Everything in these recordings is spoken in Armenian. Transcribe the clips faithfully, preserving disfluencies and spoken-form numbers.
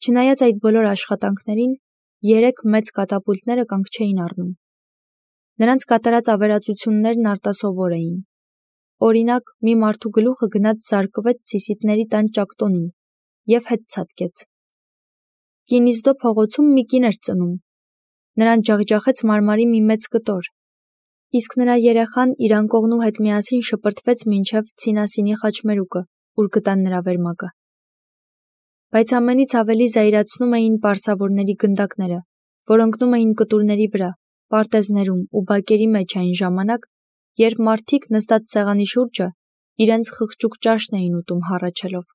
Չնայած այդ բոլոր աշխատանքներին, երեք մեծ կատապուլտները կանգ չէին առնում։ Նրանց կատարած ավերածություններն արտասովոր էին։ Օրինակ, մի մարդու գլուխը գնաց զարկվեց Սիսիթների տան ճակտոնին և հետ ցատկեց։ Կինիզդո փողոցում մի կին էր ծնում։ Նրան ջախջախեց մարմարի մի մեծ կտոր, իսկ նրա երեխան իր անկողնու հետ միասին շպրտվեց մինչև Ցինասինի խաչմերուկը, ուր գտան նրա վերմակը։ Բայց ամենից ավելի զայրացնում էին պարսավորների գնդակները, որ ընկնում էին կտուրների վրա, պարտեզներում ու բակերի մեջ այն ժամանակ, երբ մարդիկ նստած սեղանի շուրջը իրենց խղճուկ ճաշն էին ուտում հառաչելով։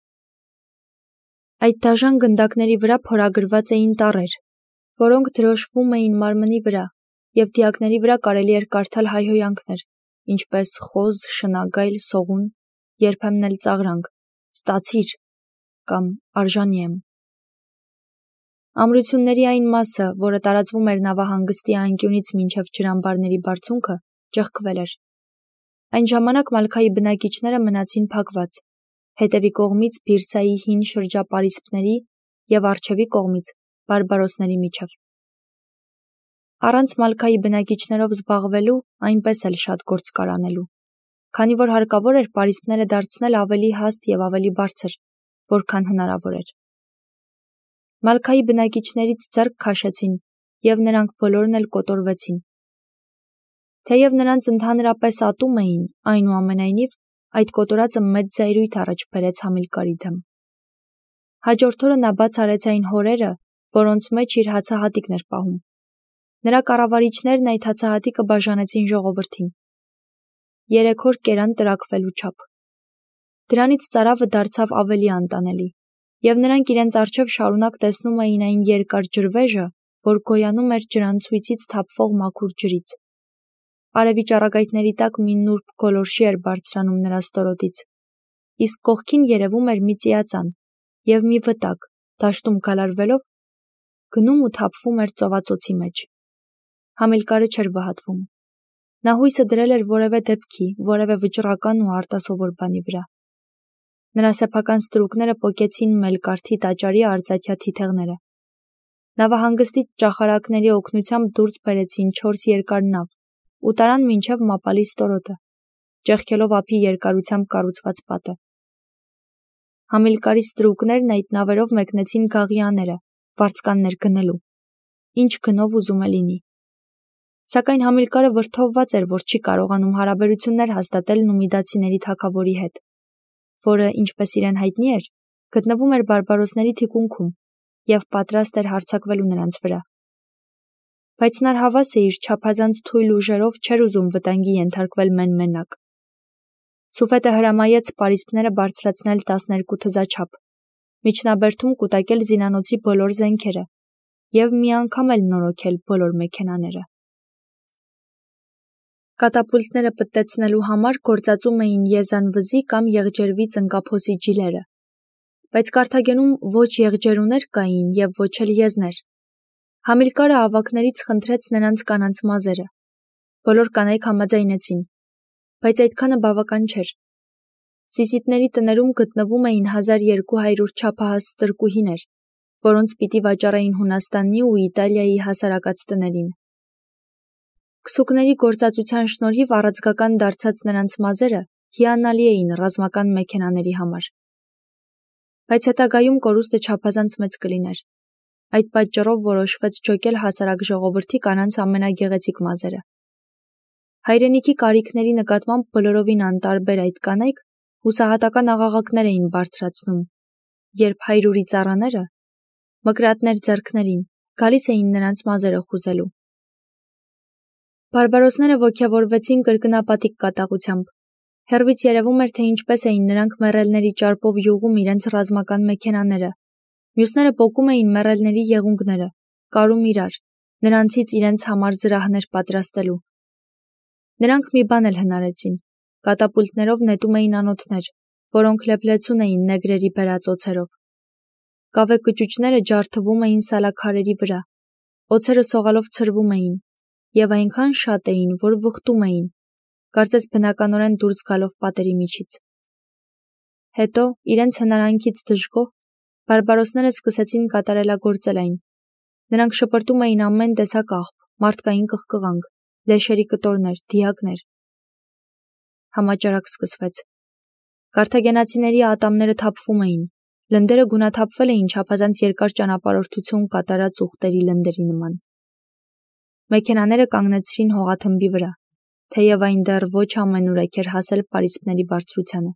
Այդ դաժան գնդակների վրա փորագրված էին տառեր, որոնք դրոշվում էին մարմնի վրա, և դիակների վրա կարելի էր կարդալ հայհոյանքներ, ինչպես խոզ, շնագայլ, սողուն, երբեմն էլ ծաղրանք, ստացիր կամ արժանի եմ։ Ամրությունների այն մասը, որը տարածվում էր նավահանգստի անկյունից մինչև ջրամբարների բարձունքը, ճեղքվել էր։ Այն ժամանակ Մալքայի բնակիչները մնացին փակված, հետևի կողմից Բիրսայի հին շրջապարիսպների և առջևի կողմից բարբարոսների միջև։ Առանց Մալքայի բնակիչներով զբաղվելու այնպես էլ շատ գործ կար անելու, քանի որ հարկավոր էր պարիսպները դարձնել ավելի հաստ և ավելի բարձր, որքան հնարավոր էր։ Մալքայի բնակիչներից ձեռք քաշեցին, և նրանք բոլորն էլ կոտորվեցին։ Թեև նրանց ընդհանրապես ատում էին, այնուամենայնիվ, այդ կոտորածը մեծ զայրույթ առաջ բերեց Համիլկարի դեմ։ Հաջորդ օրը նա բաց արեց այն հորերը, որոնց մեջ իր հացահատիկն էր պահում։ Նրա կառավարիչներն այդ հացահատիկը բաժանեցին ժողովրդին։ Երեք օր կերան տրաքվելու չափ։ Դրանից ծարավը դարձավ ավելի անտանելի, և նրանք իրենց առջև շարունակ տեսնում էին այն երկար ջրվեժը, որ գոյանում էր ջրանցույցից թափվող մաքուր ջրից։ Արևի ճառագայթների տակ մի նուրբ գոլորշի էր բարձրանում նրա ստորոտից, իսկ կողքին երևում էր մի ծիածան և մի վտակ, դաշտում գալարվելով, գնում ու թափվում էր ծովածոցի մեջ։ Համիլկարը չէր վհատվում։ Նա հույսը դրել էր որևէ դեպքի, որևէ վճռական ու արտասովոր բանի վրա։ Նրա սեփական ստրուկները պոկեցին Մելկարթի տաճարի արծաթյա թիթեղները։ Նավահանգստից ճախարակների օգնությամբ դուրս բերեցին չորս երկար նավ ու տարան մինչև Մապալի ստորոտը, ճեղքելով ափի երկարությամբ կառուցված պատը։ Համիլկարի ստրուկներն այդ նավերով մեկնեցին Գաղիաները, վարձկաններ գնելու, ինչ գնով ուզում է լինի։ Սակայն Համիլկարը վրդովված էր, որ չի կարողանում հարաբերություններ հաստատել նումիդացիների թագավորի հետ, որը, ինչպես իրեն հայտնի էր, գտնվում էր բարբարոսների թիկունքում և պատրաստ էր հարձակվելու նրանց վրա։ Բայց նա հավաս է իր չափազանց թույլ ուժերով չէր ուզում վտանգի ենթարկվել մեն-մենակ։ Սուֆետը հրամայեց պարիսպները բարձրացնել տասներկու թզաչափ, միջնաբերդում կուտակել զինանոցի բոլոր զենքերը և մի անգամ էլ նորոգել բոլոր մեքենաները։ Կատապուլտները պտտեցնելու համար գործածում էին եզանվզի կամ եղջերվի ծնկափոսի ջիլերը, բայց Կարթագենում ոչ եղջերուներ կային և ոչ էլ եզներ։ Համիլկարը ավագներից խնդրեց նրանց կանանց մազերը։ Բոլոր կանայք համաձայնեցին, բայց այդքանը բավական չէր։ Սիսիթների տներում գտնվում էին հազար երկու հարյուր չափահաս ստրկուհիներ, որոնց պիտի վաճառեին Հունաստանի ու Իտալիայի հասարակած տներին։ Քսուկների գործածության շնորհիվ առաձգական դարձած նրանց մազերը հիանալի էին ռազմական մեքենաների համար։ Բայց հետագայում կորուստը չափազանց մեծ կլիներ։ Այդ պատճառով որոշվեց ջոկել հասարակ ժողովրդի կանանց ամենագեղեցիկ մազերը։ Հայրենիքի կարիքների նկատմամբ բոլորովին անտարբեր այդ կանայք հուսահատական աղաղակներ էին բարձրացնում, երբ հայրուրի ծառաները, մկրատներ ձեռքներին, գալիս էին նրանց մազերը խուզելու։ Բարբարոսները ոգևորվեցին կրկնապատիկ կատաղությամբ։ Հեռվից երևում էր, թե ինչպես էին նրանք մեռելների ճարպով յուղում իրենց ռազմական մեքենաները, մյուսները պոկում էին մեռելների եղունգները, կարում իրար, նրանցից իրենց համար զրահներ պատրաստելու։ Նրանք մի բան էլ հնարեցին, կատապուլտներով նետում էին անոթներ, որոնք լեփլեցուն էին նեգրերի բերած օձերով։ Կավե կճուճները ջարդվում էին սալաքարերի վրա, օձերը սողալով ցրվում էին, և այնքան շատ էին, որ վխտում էին, կարծես բնականորեն դուրս գալով պատերի միջից։ Հետո, իրենց հնարանքից դժգոհ, Բարբարոսները սկսեցին կատարելագործել այն։ Նրանք շպրտում էին ամեն տեսակ աղբ, մարդկային կղկղանք, լեշերի կտորներ, դիակներ։ Համաճարակ սկսվեց։ Կարթագենացիների ատամները թափվում էին, լնդերը գունաթափվել էին չափազանց երկար ճանապարհորդություն կատարած ուղտերի լնդերի նման։ Մեքենաները կանգնեցրին հողաթմբի վրա, թեև այն դեռ ոչ ամենուրեք էր հասել պարիսպների բարձրությանը։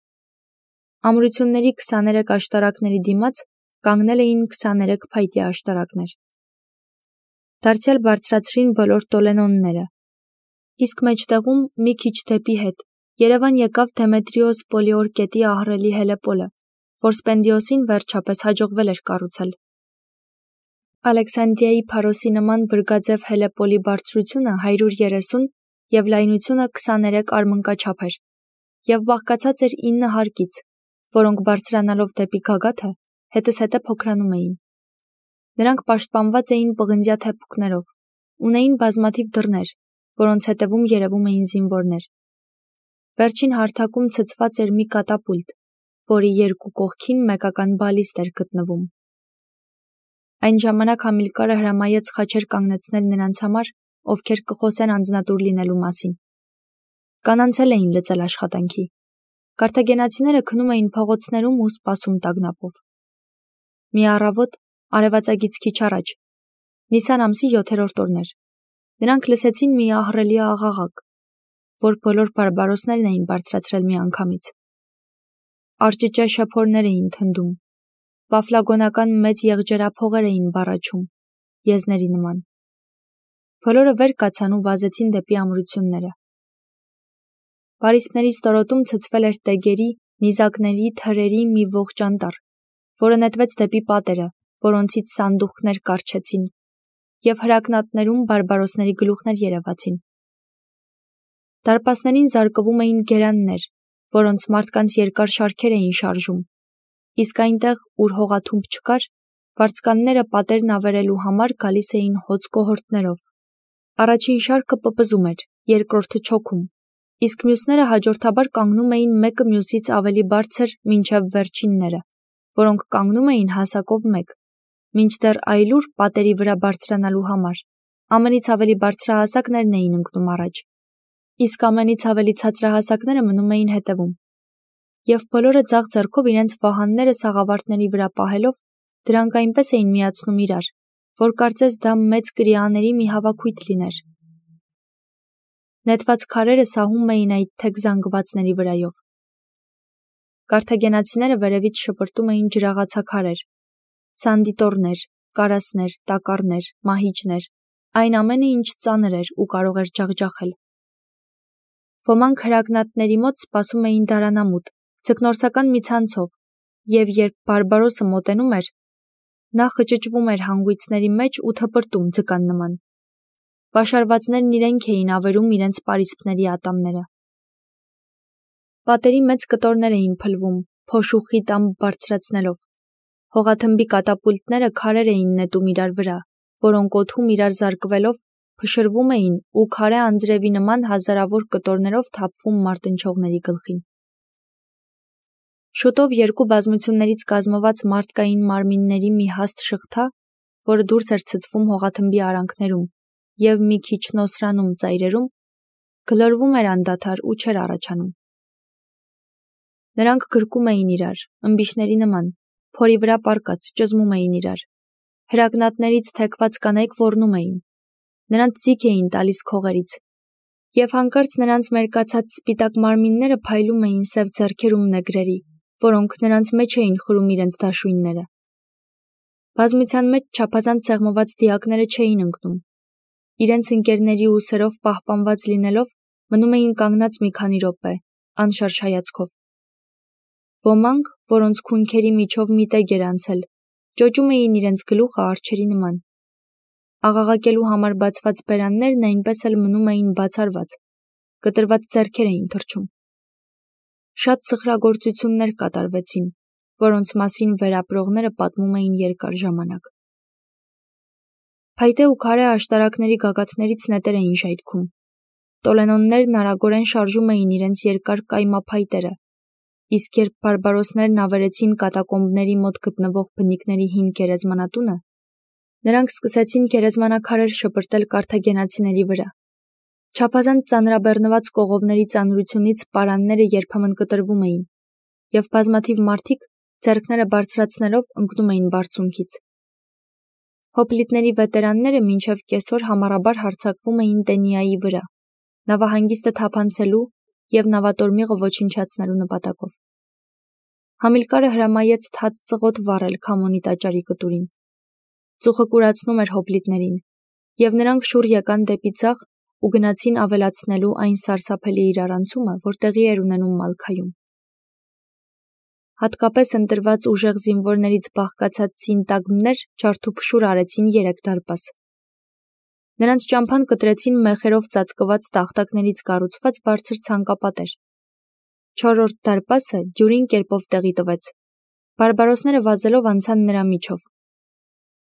Ամրությունների քսաներեք աշտարակների դիմաց կանգնել էին քսաներեք փայտյա աշտարակներ։ Դարձյալ բարձրացրին բոլոր տոլենոնները։ Իսկ մեջտեղում, մի քիչ դեպի հետ, Երևան եկավ Դեմետրիոս Պոլիորկետի ահռելի հելեպոլը, որ Սպենդիոսին վերջապես հաջողվել էր կառուցել։ Ալեքսանդրիայի Փարոսի նման բրգաձև հելեպոլի բարձրությունը հարյուր երեսուն և լայնությունը քսաներեք արմնկաչափ էր, և բաղկացած էր ինը հարկից, որոնք բարձրանալով դեպի գագաթը, հետզհետե փոքրանում էին։ Նրանք պաշտպանված էին պղնձյա թեփուկներով, ունեին բազմաթիվ դռներ, որոնց հետևում երևում էին զինվորներ։ Վերջին հարթակում ցցված էր մի կատապուլտ, որի երկու կողքին մեկական բալիստ էր գտնվում։ Այն ժամանակ Համիլկարը հրամայեց խաչեր կանգնեցնել նրանց համար, ովքեր կխոսեն անձնատուր լինելու մասին։ Կանանց էլ էին լծել աշխատանքի։ Կարթագենացիները քնում էին փողոցներում ու սպասում տագնապով։ Մի առավոտ, արևածագից քիչ առաջ, Նիսան ամսի յոթերորդ օրն էր, նրանք լսեցին մի ահռելի աղաղակ, որ բոլոր բարբարոսներն էին բարձրացրել միանգամից։ Արճճա շեփորներ էին թնդում, պաֆլագոնական մեծ եղջերափողեր էին բառաչում, եզների նման։ Բոլորը վեր կացան ու վազեցին դեպի ամրությունները։ Պարիսպների ստորոտում ցցվել էր տեգերի, նիզակների, թրերի մի ողջ անտառ, որը նետվեց դեպի պատերը, որոնցից սանդուղքներ կառչեցին, և հրակնատներում բարբարոսների գլուխներ երևացին։ Դարպասներին զարկվում էին գերաններ, որոնց մարդկանց երկար շարքեր էին շարժում, իսկ այնտեղ, ուր հողաթումբ չկար, վարձկանները պատերն ավերելու համար գալիս էին հոծ կոհորտներով։ Առաջին շարքը պպզում էր, երկրորդը չոքում, իսկ մյուսները հաջորդաբար կանգնում էին մեկը մյուսից ավելի բարձր մինչև վերջինները, որոնք կանգնում էին հասակով մեկ, մինչդեռ այլուր պատերի վրա բարձրանալու համար ամենից ավելի բարձրահասակներն էին ընկնում առաջ, իսկ ամենից ավելի ցածրահասակները մնում էին հետևում, և բոլորը ձախ ձեռքով իրենց վահանները սաղավարտների վրա պահելով, դրանք այնպես էին միացնում իրար, որ կարծես դա մեծ կրիաների մի հավաքույթ լիներ։ Նետված քարերը սահում էին այդ թեք զանգվածների վրայով։ Կարթագենացիները վերևից շպրտում էին ջրաղացաքարեր, սանդիտորներ, կարասներ, տակառներ, մահիճներ, այն ամենը, ինչ ծանր էր ու կարող էր ջախջախել։ Ոմանք հրակնատների մոտ սպասում էին դարանամուտ, ձկնորսական մի ցանցով, և երբ բարբարոսը մոտենում էր, նա խճճվում էր հանգույցների մեջ ու թպրտում ձկան նման։ Պաշարվածներն իրենք էին ավերում իրենց պարիսպների ատամները։ Պատերի մեծ կտորներ էին փլվում, փոշու խիտ ամպ բարձրացնելով։ Հողաթմբի կատապուլտները քարեր էին նետում իրար վրա, որոնք օդում իրար զարկվելով փշրվում էին ու քարե անձրևի նման հազարավոր կտորներով թափվում մարտնչողների գլխին։ Շուտով երկու բազմություններից կազմված մարդկային մարմինների մի հաստ շղթա, որը դուրս էր ցցվում հողաթմբի արանքներում և մի քիչ նոսրանում ծայրերում, գլորվում էր անդադար ու չէր առաջանում։ Նրանք գրկում էին իրար, ըմբիշների նման, փորի վրա պառկած, ճզմում էին իրար։ Հրակնատներից թեքված կանայք ոռնում էին։ Նրանց ձիգ էին տալիս քողերից։ Եվ հանկարծ նրանց մերկացած սպիտակ մարմինները փայլում էին սև ձեռքերում նեգրերի, որոնք նրանց մեջ էին խրում իրենց դաշույնները։ Բազմության մեջ չափազանց սեղմված դիակները չէին ընկնում։ Իրենց ընկերների ուսերով պահպանված լինելով, մնում էին կանգնած մի քանի րոպե, անշարժ հայացքով։ Ոմանք, որոնց քունքերի միջով մի տեգ էր անցել, ճոճում էին իրենց գլուխը արջերի նման։ Աղաղակելու համար բացված բերաններն այնպես էլ մնում էին բացառված, կտրված ձեռքեր էին թռչում։ Շատ սխրագործություններ կատարվեցին, որոնց մասին վերապրողները պատմում էին երկար ժամանակ։ Փայտե ու քարե աշտարակների գագաթներից նետեր էին ժայթքում։ Տոլենոններն արագորեն շարժում էին իրենց երկար կայմափայտերը, իսկ երբ բարբարոսներն ավերեցին կատակոմբների մոտ գտնվող բնիկների հին գերեզմանատունը, նրանք սկսեցին գերեզմանակարեր շպրտել կարթագենացիների վրա։ Չափազանց ծանրաբեռնված կողովների ծանրությունից պարանները երբեմն կտրվում էին, և բազմաթիվ մարդիկ ձեռքները բարձրացնելով ընկնում էին բարձունքից։ Հոպլիտների վետերանները մինչև կեսօր համառաբար հարձակվում էին Տենիայի վրա, նավահանգիստը թափանցելու և նավատորմիղը ոչնչացնելու նպատակով։ Համիլկարը հրամայեց թաց ծղոտ վառել Քամոնի տաճարի կտուրին։ Ծուխը կուրացնում էր հոպլիտներին, և նրանք շուռ եկան դեպի ձախ ու գնացին ավելացնելու այն սարսափելի իրարանցումը, որ տեղի էր ունենում Մալքայում։ Հատկապես ընտրված ուժեղ զինվորներից բաղկացած սինտագմներ ջարդուփշուր արեցին երեք դարպաս։ Նրանց ճամփան կտրեցին մեխերով ծածկված տախտակներից կառուցված բարձր ցանկապատեր։ Չորրորդ դարպասը դյուրին կերպով տեղի տվեց։ Բարբարոսները վազելով անցան նրա միջով,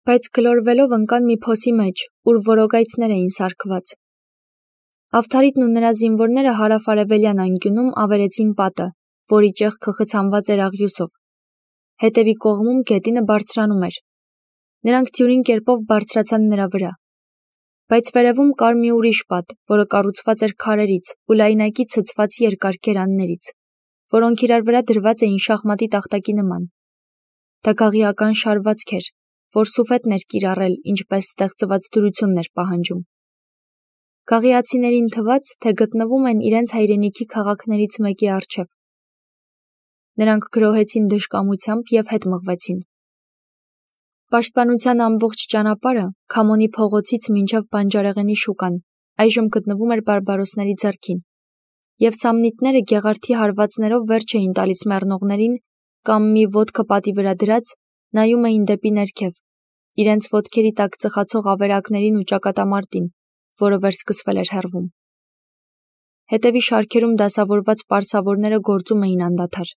բայց գլորվելով ընկան մի փոսի մեջ, ուր որոգայթներ էին սարքված։ Ավթարիտն ու նրա զինվորները հարավ-արևելյան անկյունում ավերեցին պատը, որի ճեղքը խցանված էր աղյուսով։ Հետևի կողմում գետինը բարձրանում էր։ Նրանք դյուրին կերպով բարձրացան նրա վրա։ Բայց վերևում կար մի ուրիշ պատ, որը կառուցված էր քարերից ու լայնակի ցցված երկար գերաններից, որոնք իրար վրա դրված էին շախմատի տախտակի նման։ Դա գաղիական շարվածք էր, որ սուֆետն էր կիրառել, ինչպես ստեղծված դյուրությունն էր պահանջում։ Գաղիացիներին թվաց, թե գտնվում են իրենց հայրենիքի քաղաքներից մեկի առջև։ Նրանք գրոհեցին դժկամությամբ և հետ մղվեցին։ Պաշտպանության ամբողջ ճանապարհը Քամոնի փողոցից մինչև բանջարեղենի շուկան այժմ գտնվում էր բարբարոսների ձեռքին, և սամնիտները գեղարդի հարվածներով վերջ էին տալիս մեռնողներին կամ մի ոտքը պատի վրա դրած նայում էին դեպի ներքև, իրենց ոտքերի տակ ծխացող ավերակներին ու ճակատամարտին, որը վերսկսվել էր հեռվում։ Հետևի շարքերում դասավորված պարսավորները գործում էին անդադար։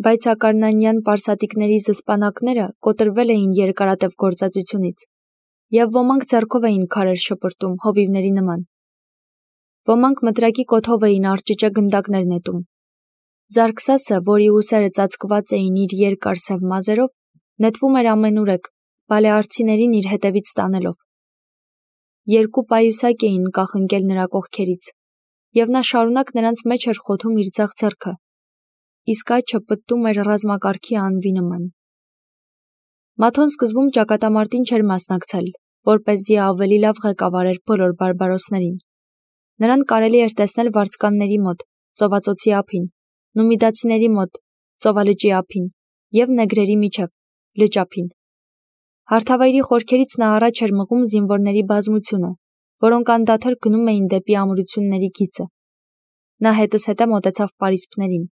Բայց ակարնանյան պարսատիկների զսպանակները կոտրվել էին երկարատև գործածությունից, և ոմանք ձեռքով էին քարեր շպրտում հովիվների նման։ Ոմանք մտրակի կոթով էին արճճե գնդակներ նետում։ Զարգսասը, որի ուսերը ծածկված էին իր երկար սև մազերով, նետվում էր ամենուրեք, բալեարցիներին իր հետևից տանելով։ Երկու պայուսակ էին կախընկել նրա կողքերից, և նա շարունակ նրանց մեջ էր խոթում իր ձախ ձեռքը, իսկ աջ պտտում էր ռազմակարգի անվի նման։ Մաթոն սկզբում ճակատամարտին չէր մասնակցել, որպեսզի ավելի լավ ղեկավարեր բոլոր բարբարոսներին։ Նրան կարելի էր տեսնել վարձկանների մոտ, ծովածոցի ափին, նումիդացիների մոտ, ծովալճի ափին, և նեգրերի միջև, լճափին։ Հարթավայրի խորքերից նա առաջ էր մղում զինվորների բազմությունը, որոնք անդադար գնում էին դեպի ամրությունների գիծը։ Նա հետզհետե մոտեցավ պարիսպներին։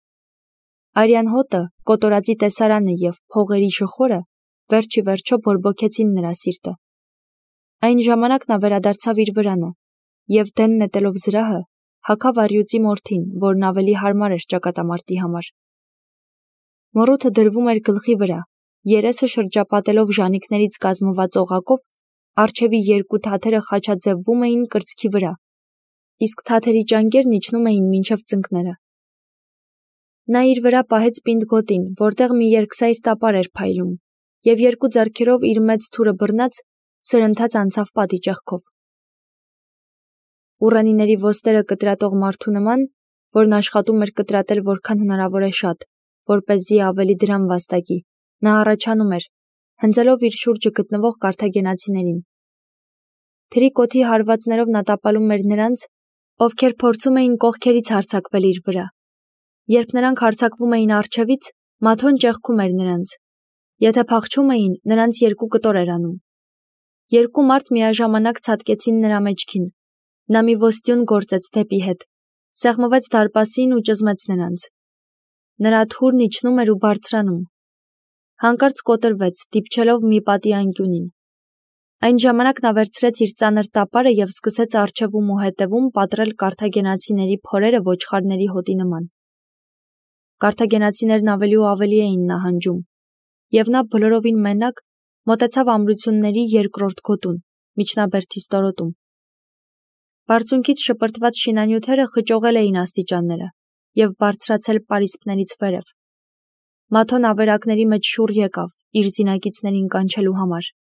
Արյան հոտը, կոտորածի տեսարանը և փողերի շխորը վերջ ի վերջո բորբոքեցին նրա սիրտը։ Այն ժամանակ նա վերադարձավ իր վրանը և դեն նետելով զրահը, հագավ առյուծի մորթին, որն ավելի հարմար էր ճակատամարտի համար։ Մորութը դրվում էր գլխի վրա, երեսը շրջապատելով ժանիքներից կազմված օղակով, առջևի երկու թաթերը խաչաձևվում էին կրծքի վրա, իսկ թաթերի ճանկերն իջնում էին մինչև ծնկները։ Նա իր վրա պահեց պինդ գոտին, որտեղ մի երկսայր տապար էր փայլում, և երկու ձեռքերով իր մեծ թուրը բռնած սրընթաց անցավ պատի ճեղքով։ Ուռենիների ոստերը կտրատող մարդու նման, որն աշխատում էր կտրատել որքան հնարավոր է շատ, որպեսզի ավելի դրամ վաստակի, նա առաջանում էր, հնձելով իր շուրջը գտնվող կարթագենացիներին։ Թրի կոթի հարվածներով նա տապալում էր նրանց, ովքեր փորձում էին կողքերից հարձակվել իր վրա։ Երբ նրանք հարձակվում էին առջևից, Մաթոն ճեղքում էր նրանց։ Եթե փախչում էին, նրանց երկու կտոր էր անում։ Երկու մարդ միաժամանակ ցատկեցին նրա մեջքին։ Նա մի ոստյուն գործեց դեպի հետ, սեղմվեց դարպասին ու ճզմեց նրանց։ Նրա թուրն իջնում էր ու բարձրանում։ Հանկարծ կոտրվեց, դիպչելով մի պատի անկյունին։ Այն ժամանակ նա վերցրեց իր ծանր տապարը և սկսեց առջևում ու հետևում պատռել կարթագենացիների փորերը ոչխարների հոտի նման։ Կարթագենացիներն ավելի ու ավելի էին նահանջում, և նա բոլորովին մենակ մոտեցավ ամրությունների երկրորդ գոտուն, միջնաբերդի ստորոտում։ Բարձունքից շպրտված շինանյութերը խճողել էին աստիճանները, և բարձրացել պարիսպներից վերև։ Մաթոն ավերակների մեջ շուռ եկավ իր զինակիցներին կանչելու համար։